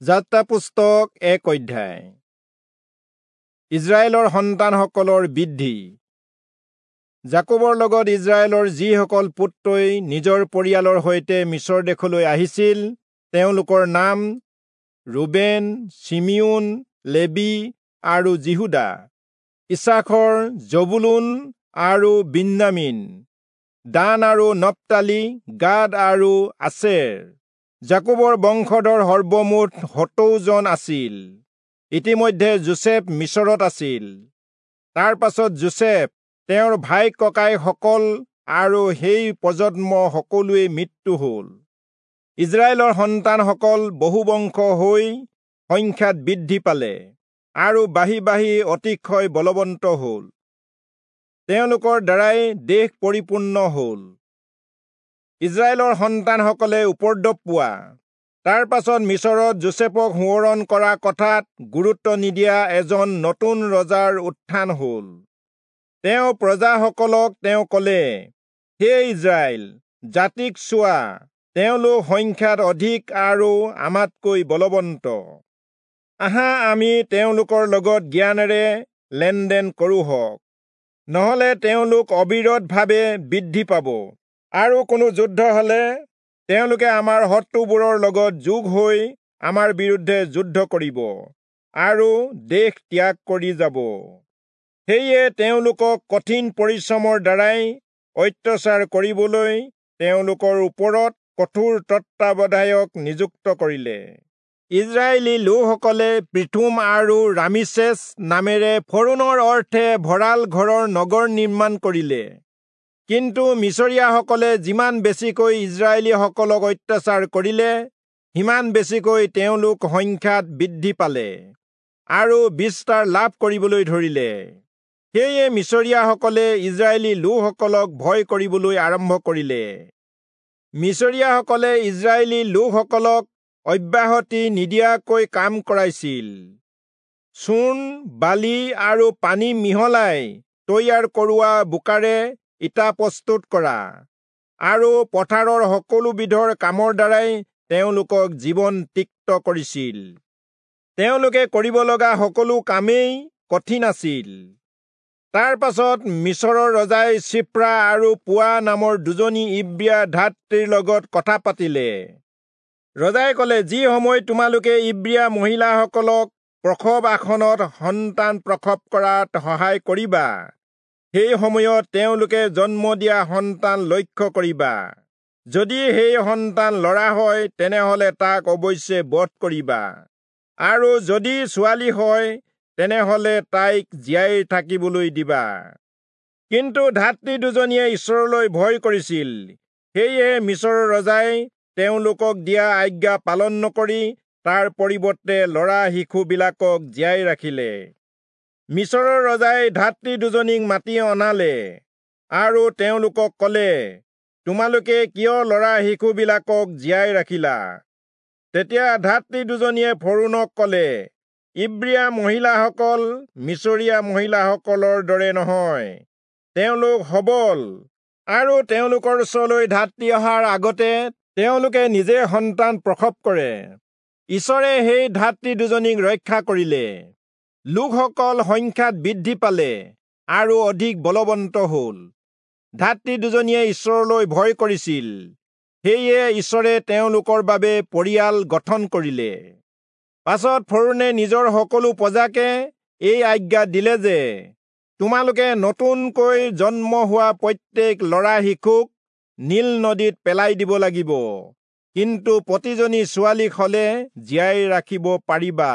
যাত্ৰা পুস্তক 1 অধ্যায়। ইজৰাইলৰ সন্তানসকলৰ বৃদ্ধি। যাকোবৰ লগত ইজৰাইলৰ যিসকল পুত্ৰই নিজৰ পৰিয়ালৰ সৈতে মিচৰ দেশলৈ আহিছিল, তেওঁলোকৰ নাম ৰুবেন, চিমিয়োন, লেবি আৰু যিহূদা, ইচাখৰ, জবুলূন আৰু বিন্যামীন, দান আৰু নপ্তালি, গাদ আৰু আচেৰ। যাকোবৰ বংশধৰ সৰ্বমুঠ 70 জন আছিল। ইতিমধ্যে যোচেফ মিচৰত আছিল। তাৰ পাছত যোচেফ, তেওঁৰ ভাই ককাইসকল আৰু সেই প্ৰজন্ম সকলোৱে মৃত্যু হ'ল। ইজৰাইলৰ সন্তানসকল বহুবংশ হৈ সংখ্যাত বৃদ্ধি পালে আৰু বাঢ়ি বাঢ়ি অতিশয় বলৱন্ত হ'ল। তেওঁলোকৰ দ্বাৰাই দেশ পৰিপূৰ্ণ হ'ল। ইজৰাইলৰ সন্তানসকলে উপদ্ৰৱ পোৱা। তাৰ পাছত মিচৰত যোচেফক সোঁৱৰণ কৰা কথাত গুৰুত্ব নিদিয়া এজন নতুন ৰজাৰ উত্থান হ'ল। তেওঁ প্ৰজাসকলক তেওঁ ক'লে, হে ইজৰাইল জাতিক চোৱা, তেওঁলোক সংখ্যাত অধিক আৰু আমাতকৈ বলৱন্ত। আহা, আমি তেওঁলোকৰ লগত জ্ঞানেৰে লেনদেন কৰোঁহক, নহ'লে তেওঁলোক অবিৰতভাৱে বৃদ্ধি পাব আৰু কোনো যুদ্ধ হলে তেওঁলোকে আমাৰ শত্ৰুবোৰৰ লগত যোগ হৈ আমাৰ বিৰুদ্ধে যুদ্ধ কৰিব আৰু দেশ ত্যাগ কৰি যাব। সেয়ে তেওঁলোকক কঠিন পৰিশ্ৰমৰ দ্বাৰাই অত্যাচাৰ কৰিবলৈ তেওঁলোকৰ ওপৰত কঠোৰ তত্ত্বাৱধায়ক নিযুক্ত কৰিলে। ইজৰাইলী লোকসকলে পিথোম আৰু ৰামিচেছ নামেৰে ফৰোণৰ অৰ্থে ভঁৰাল ঘৰৰ নগৰ নিৰ্মাণ কৰিলে। কিন্তু মিচৰীয়াসকলে যিমান বেছিকৈ ইজৰাইলীসকলক অত্যাচাৰ কৰিলে, সিমান বেছিকৈ তেওঁলোক সংখ্যাত বৃদ্ধি পালে আৰু বিস্তাৰ লাভ কৰিবলৈ ধৰিলে। সেয়ে মিচৰীয়াসকলে ইজৰাইলী লোকসকলক ভয় কৰিবলৈ আৰম্ভ কৰিলে। মিচৰীয়াসকলে ইজৰাইলী লোকসকলক অব্যাহতি নিদিয়াকৈ কাম কৰাইছিল। চূণ, বালি আৰু পানী মিহলাই তৈয়াৰ কৰোৱা বোকাৰে ইটা প্ৰস্তুত কৰা আৰু পথাৰৰ সকলোবিধৰ কামৰ দ্বাৰাই তেওঁলোকক জীৱন তিক্ত কৰিছিল। তেওঁলোকে কৰিব লগা সকলো কামেই কঠিন আছিল। তাৰ পাছত মিচৰৰ ৰজাই চিপ্ৰা আৰু পুৱা নামৰ দুজনী ইব্ৰীয়া ধাত্ৰীৰ লগত কথা পাতিলে। ৰজাই ক'লে, যি সময়ত তোমালোকে ইব্ৰীয়া মহিলাসকলক প্ৰসৱ আসনত সন্তান প্ৰসৱ কৰাত সহায় কৰিবা, সেই সময়ত তেওঁলোকে জন্ম দিয়া সন্তান লক্ষ্য কৰিবা। যদি সেই সন্তান ল'ৰা হয়, তেনেহলে তাক অৱশ্যে বধ কৰিবা, আৰু যদি ছোৱালী হয়, তেনেহলে তাইক জীয়াই থাকিবলৈ দিবা। কিন্তু ধাত্ৰী দুজনীয়ে ঈশ্বৰলৈ ভয় কৰিছিল। সেয়েহে মিচৰৰ ৰজাই তেওঁলোকক দিয়া আজ্ঞা পালন নকৰি তাৰ পৰিৱৰ্তে ল'ৰা শিশুবিলাকক জীয়াই ৰাখিলে। মিচৰৰ ৰজাই ধাত্ৰী দুজনীক মাতি অনালে আৰু তেওঁলোকক ক'লে, তোমালোকে কিয় ল'ৰা শিশুবিলাকক জীয়াই ৰাখিলা? তেতিয়া ধাত্ৰী দুজনীয়ে ফৰোণক ক'লে, ইব্ৰীয়া মহিলাসকল মিচৰীয়া মহিলাসকলৰ দৰে নহয়, তেওঁলোক সবল আৰু তেওঁলোকৰ ওচৰলৈ ধাত্ৰী অহাৰ আগতে তেওঁলোকে নিজে সন্তান প্ৰসৱ কৰে। ঈশ্বৰে সেই ধাত্ৰী দুজনীক ৰক্ষা কৰিলে। লোকসকল সংখ্যাত বৃদ্ধি পালে আৰু অধিক বলৱন্ত হ'ল। ধাত্ৰী দুজনীয়ে ঈশ্বৰলৈ ভয় কৰিছিল, সেয়ে ঈশ্বৰে তেওঁলোকৰ বাবে পৰিয়াল গঠন কৰিলে। পাছত ফৰোণে নিজৰ সকলো প্ৰজাকে এই আজ্ঞা দিলে যে, তোমালোকে নতুনকৈ জন্ম হোৱা প্ৰত্যেক ল'ৰা শিশুক নীল নদীত পেলাই দিব লাগিব, কিন্তু প্ৰতিজনী ছোৱালীক হলে জীয়াই ৰাখিব পাৰিবা।